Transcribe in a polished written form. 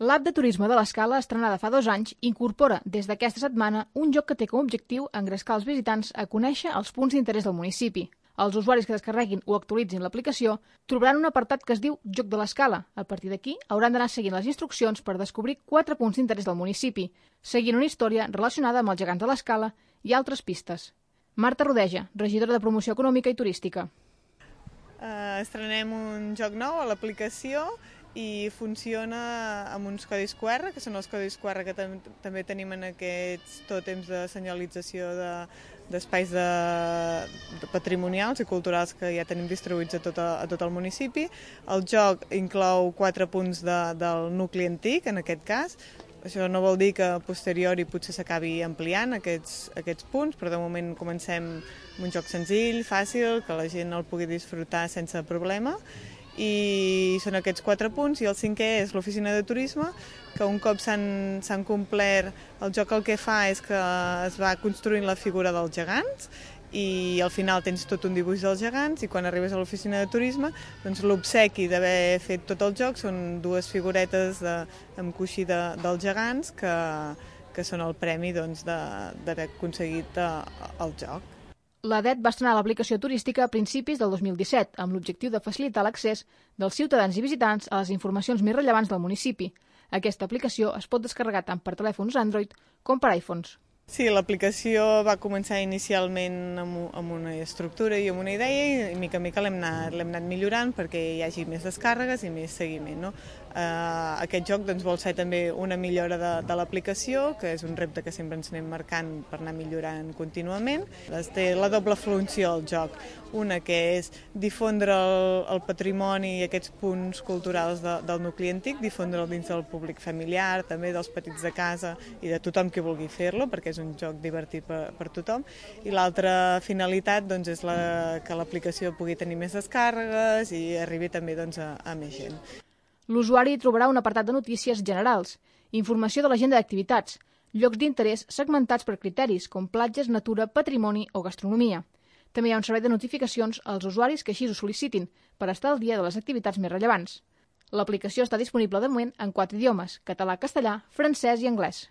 L'app de turisme de l'Escala, estrenada fa 2 anys, incorpora des d'aquesta setmana un joc que té com a objectiu engrescar els visitants a conèixer els punts d'interès del municipi. Els usuaris que descarreguin o actualitzin l'aplicació trobaran un apartat que es diu Joc de l'Escala. A partir d'aquí, hauran d'anar seguint les instruccions per descobrir 4 punts d'interès del municipi, seguint una història relacionada amb els gegants de l'Escala i altres pistes. Marta Rodeja, regidora de Promoció Econòmica i Turística. Estrenem un joc nou a l'aplicació i funciona amb uns codis QR, que són els codis QR que també tenim en aquests tòtems de senyalització d'espais patrimonials i culturals que ja tenim distribuïts a tot el municipi. El joc inclou 4 punts del nucli antic, en aquest cas. Això no vol dir que a posteriori potser s'acabi ampliant aquests punts, però de moment comencem amb un joc senzill, fàcil, que la gent el pugui disfrutar sense problema. I són aquests 4 punts, i el 5è és l'oficina de turisme, que un cop s'han complert, el joc el que fa és que es va construint la figura dels gegants i al final tens tot un dibuix dels gegants, i quan arribes a l'oficina de turisme, doncs l'obsequi d'haver fet tot el joc són 2 figuretes amb coixí dels gegants que són el premi d'haver aconseguit el joc. L'ADET va estrenar l'aplicació turística a principis del 2017 amb l'objectiu de facilitar l'accés dels ciutadans i visitants a les informacions més rellevants del municipi. Aquesta aplicació es pot descarregar tant per telèfons Android com per iPhones. Sí, l'aplicació va començar inicialment amb una estructura i amb una idea, i mica en mica l'hem anat millorant perquè hi hagi més descàrregues i més seguiment, no? Aquest joc vol ser també una millora de l'aplicació, que és un repte que sempre ens anem marcant per anar millorant contínuament. Té la doble funció el joc, una que és difondre el patrimoni i aquests punts culturals del nucli antic, difondre'l dins del públic familiar, també dels petits de casa i de tothom que vulgui fer-lo, perquè és un joc divertit per tothom. I l'altra finalitat és que l'aplicació pugui tenir més descàrregues i arribi també a més gent. L'usuari trobarà un apartat de notícies generals, informació de l'agenda d'activitats, llocs d'interès segmentats per criteris com platges, natura, patrimoni o gastronomia. També hi ha un servei de notificacions als usuaris que així ho sol·licitin per estar al dia de les activitats més rellevants. L'aplicació està disponible de moment en 4 idiomes: català, castellà, francès i anglès.